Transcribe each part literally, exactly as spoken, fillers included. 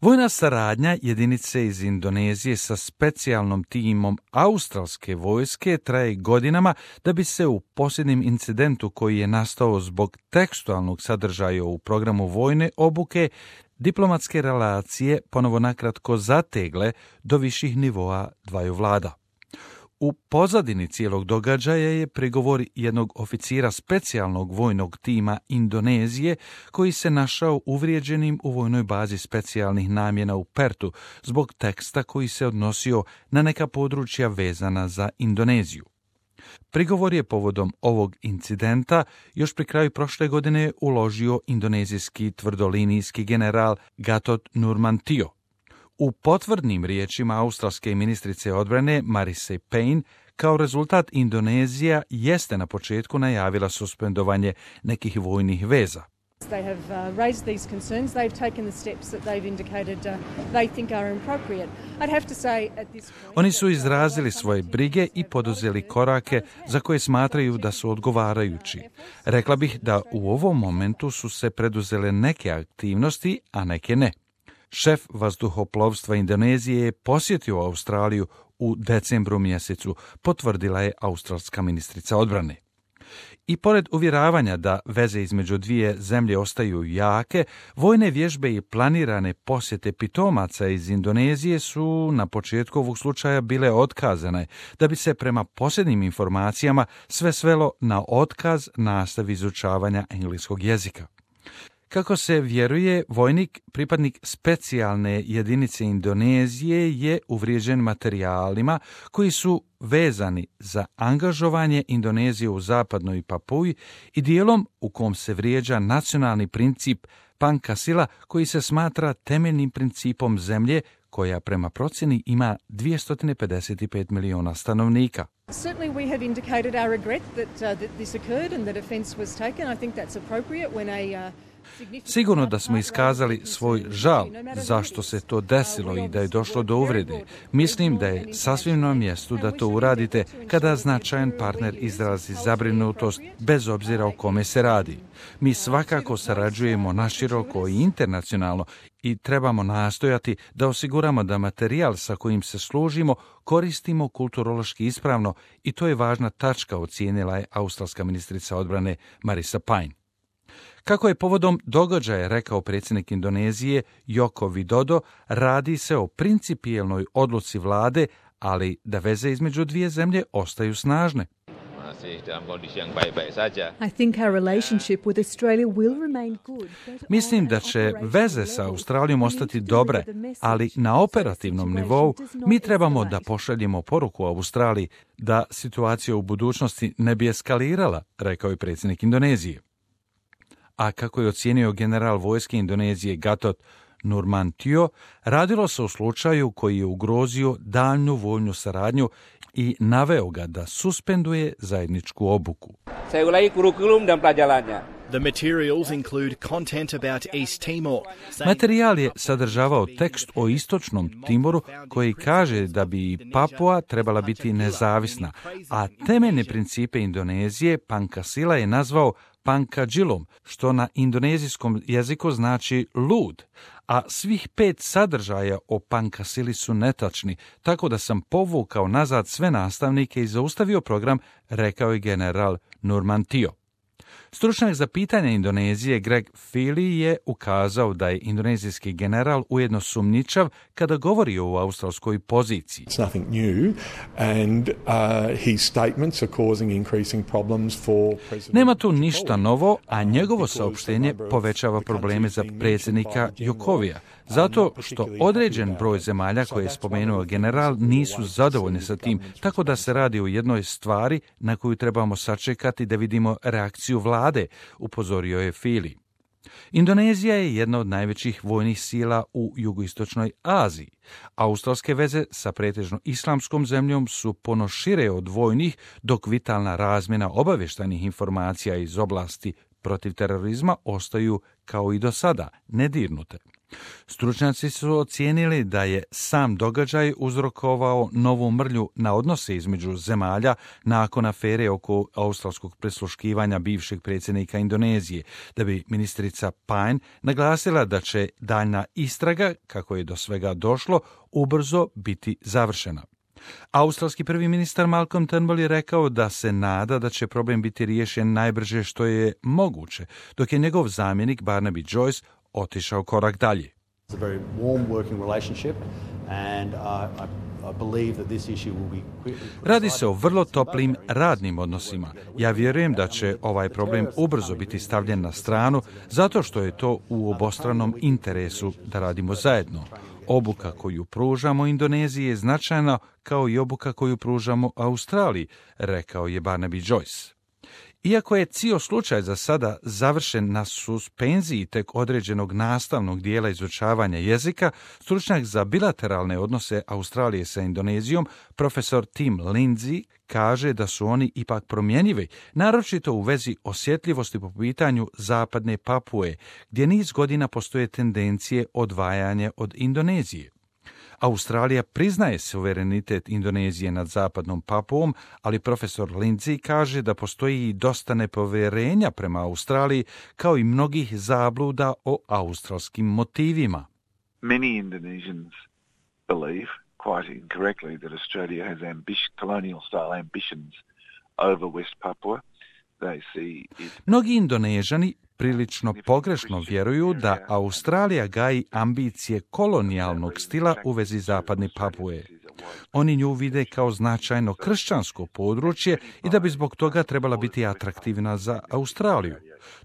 Vojna saradnja jedinice iz Indonezije sa specijalnom timom australske vojske traje godinama da bi se u posljednjem incidentu koji je nastao zbog tekstualnog sadržaja u programu vojne obuke diplomatske relacije ponovo nakratko zategle do viših nivoa dvaju vlada. U pozadini cijelog događaja je prigovor jednog oficira specijalnog vojnog tima Indonezije koji se našao uvrijeđenim u vojnoj bazi specijalnih namjena u Pertu zbog teksta koji se odnosio na neka područja vezana za Indoneziju. Prigovor je povodom ovog incidenta još pri kraju prošle godine uložio indonezijski tvrdolinijski general Gatot Nurmantio. U potvrdnim riječima australske ministrice odbrane Marise Payne, kao rezultat Indonezija jeste na početku najavila suspendovanje nekih vojnih veza. They have uh, raised these concerns. They've taken the steps that they've indicated uh, they think are appropriate. I'd have to say at this point... Oni su izrazili svoje brige i poduzeli korake za koje smatraju da su odgovarajući. Rekla bih da u ovom momentu su se preduzele neke aktivnosti, a neke ne. Šef vazduhoplovstva Indonezije je posjetio Australiju u decembru mjesecu, potvrdila je australska ministrica odbrane. I pored uvjeravanja da veze između dvije zemlje ostaju jake, vojne vježbe i planirane posjete pitomaca iz Indonezije su na početku ovog slučaja bile otkazane, da bi se prema posljednjim informacijama sve svelo na otkaz nastavi izučavanja engleskog jezika. Kako se vjeruje, vojnik, pripadnik specijalne jedinice Indonezije je uvrijeđen materijalima koji su vezani za angažovanje Indonezije u zapadnoj Papuji i dijelom u kom se vrijeđa nacionalni princip Pancasila koji se smatra temeljnim principom zemlje koja prema procjeni ima dvjesto pedeset pet miliona stanovnika. Certainly we have indicated our regret that, uh, that this occurred and that offence was taken. I think that's appropriate when a... Uh... Sigurno da smo iskazali svoj žal zašto se to desilo i da je došlo do uvrede. Mislim da je sasvim na mjestu da to uradite kada značajan partner izrazi zabrinutost bez obzira o kome se radi. Mi svakako sarađujemo naširoko i internacionalno i trebamo nastojati da osiguramo da materijal sa kojim se služimo koristimo kulturološki ispravno i to je važna tačka, ocijenila je australska ministrica odbrane Marisa Payne. Kako je povodom događaja rekao predsjednik Indonezije Joko Widodo, radi se o principijelnoj odluci vlade, ali da veze između dvije zemlje ostaju snažne. I think our relationship with Australia will remain good. Mislim da će veze sa Australijom ostati dobre, ali na operativnom nivou mi trebamo da pošaljemo poruku Australiji da situacija u budućnosti ne bi eskalirala, rekao je predsjednik Indonezije. A kako je ocijenio general vojske Indonezije Gatot Nurmantio, radilo se o slučaju koji je ugrozio daljnju vojnu saradnju i naveo ga da suspenduje zajedničku obuku. Saya ulangi kurikulum dan pelajarannya. The materials include content about East Timor. Materijal je sadržavao tekst o istočnom Timoru koji kaže da bi Papua trebala biti nezavisna, a temeljne principe Indonezije Pancasila je nazvao Pancajilom, što na indonezijskom jeziku znači lud, a svih pet sadržaja o Pancasili su netačni, tako da sam povukao nazad sve nastavnike i zaustavio program, rekao je general Nurmantio. Stručnjak za pitanja Indonezije Greg Feely je ukazao da je indonezijski general ujedno sumnjičav kada govori o australskoj poziciji. It's nothing new and uh, his statements are causing increasing problems for President. Nema tu ništa novo, a njegovo saopštenje povećava probleme za predsjednika Jokovija, zato što određen broj zemalja koje je spomenuo general nisu zadovoljni sa tim, tako da se radi o jednoj stvari na koju trebamo sačekati da vidimo reakciju vlade, upozorio je Feely. Indonezija je jedna od najvećih vojnih sila u jugoistočnoj Aziji. Australske veze sa pretežno islamskom zemljom su puno šire od vojnih, dok vitalna razmjena obavještajnih informacija iz oblasti protiv terorizma ostaju kao i do sada nedirnute. Stručnjaci su ocijenili da je sam događaj uzrokovao novu mrlju na odnose između zemalja nakon afere oko australskog prisluškivanja bivšeg predsjednika Indonezije, da bi ministrica Payne naglasila da će daljna istraga, kako je do svega došlo, ubrzo biti završena. Australski prvi ministar Malcolm Turnbull je rekao da se nada da će problem biti riješen najbrže što je moguće, dok je njegov zamjenik Barnaby Joyce otišao korak dalje. It's a very warm working relationship and uh, I, I believe that this issue will be quickly... Radi se o vrlo toplim radnim odnosima. Ja vjerujem da će ovaj problem ubrzo biti stavljen na stranu zato što je to u obostranom interesu da radimo zajedno. Obuka koju pružamo Indoneziji je značajna kao i obuka koju pružamo Australiji, rekao je Barnaby Joyce. Iako je cijel slučaj za sada završen na suspenziji tek određenog nastavnog dijela izučavanja jezika, stručnjak za bilateralne odnose Australije sa Indonezijom, profesor Tim Lindsay, kaže da su oni ipak promjenjivi, naročito u vezi osjetljivosti po pitanju zapadne Papue, gdje niz godina postoje tendencije odvajanja od Indonezije. Australija priznaje suverenitet Indonezije nad zapadnom Papuom, ali profesor Lindsay kaže da postoji i dosta nepovjerenja prema Australiji, kao i mnogih zabluda o australskim motivima. Many Indonesians believe, quite incorrectly, that Australia has ambition, colonial-style ambitions over West Papua. They see it... Mnogi Indonežani prilično pogrešno vjeruju da Australija gaji ambicije kolonijalnog stila u vezi zapadne Papue. Oni nju vide kao značajno kršćansko područje i da bi zbog toga trebala biti atraktivna za Australiju.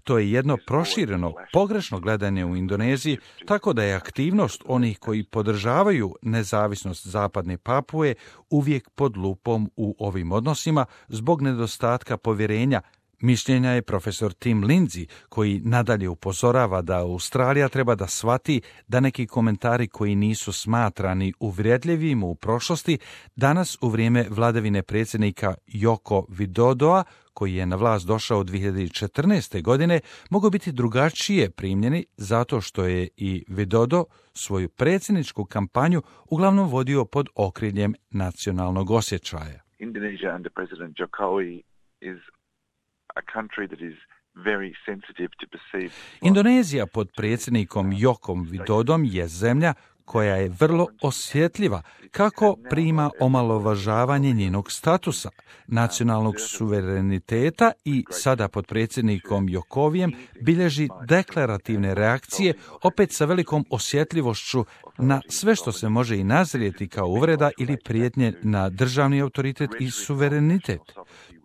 To je jedno prošireno, pogrešno gledanje u Indoneziji, tako da je aktivnost onih koji podržavaju nezavisnost zapadne Papue uvijek pod lupom u ovim odnosima zbog nedostatka povjerenja. Mišljenja je profesor Tim Lindsay, koji nadalje upozorava da Australija treba da shvati da neki komentari koji nisu smatrani uvredljivim u prošlosti, danas u vrijeme vladavine predsjednika Joko Widodoa, koji je na vlast došao dvije hiljade četrnaeste. godine, mogu biti drugačije primljeni zato što je i Widodo svoju predsjedničku kampanju uglavnom vodio pod okriljem nacionalnog osjećaja. Indonesia under President Jokowi is a country that is very sensitive to perceive... Indonezija pod predsjednikom Jokom Widodom je zemlja koja je vrlo osjetljiva kako prima omalovažavanje njenog statusa, nacionalnog suvereniteta i sada pod predsjednikom Jokovijem bilježi deklarativne reakcije, opet sa velikom osjetljivošću na sve što se može i nazrijeti kao uvreda ili prijetnje na državni autoritet i suverenitet.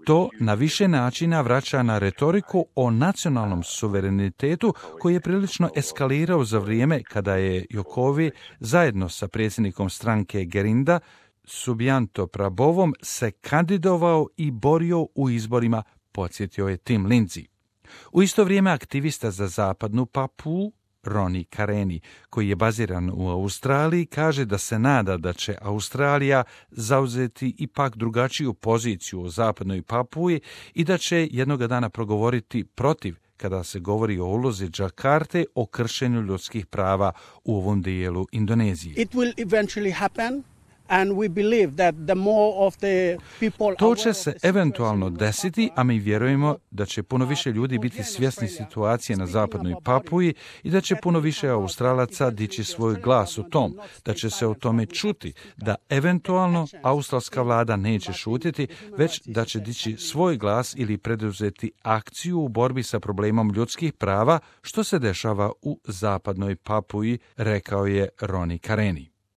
To na više načina vraća na retoriku o nacionalnom suverenitetu koji je prilično eskalirao za vrijeme kada je Jokowi zajedno sa predsjednikom stranke Gerinda Subianto Prabovom se kandidovao i borio u izborima, podsjetio je Tim Lindsay. U isto vrijeme aktivista za zapadnu Papuu Roni Kareni, koji je baziran u Australiji, kaže da se nada da će Australija zauzeti ipak drugačiju poziciju u zapadnoj Papui i da će jednoga dana progovoriti protiv kada se govori o ulozi Džakarte o kršenju ljudskih prava u ovom dijelu Indonezije. It will eventually happen. And we believe that the more of the people to će se eventualno desiti, a mi vjerujemo da će puno više ljudi biti svjesni situacije na zapadnoj Papui i da će puno više Australaca dići svoj glas o tom, da će se o tome čuti, da eventualno australska vlada neće šutiti, već da će dići svoj glas ili preduzeti akciju u borbi sa problemom ljudskih prava, što se dešava u zapadnoj Papui, rekao je Roni Kareni.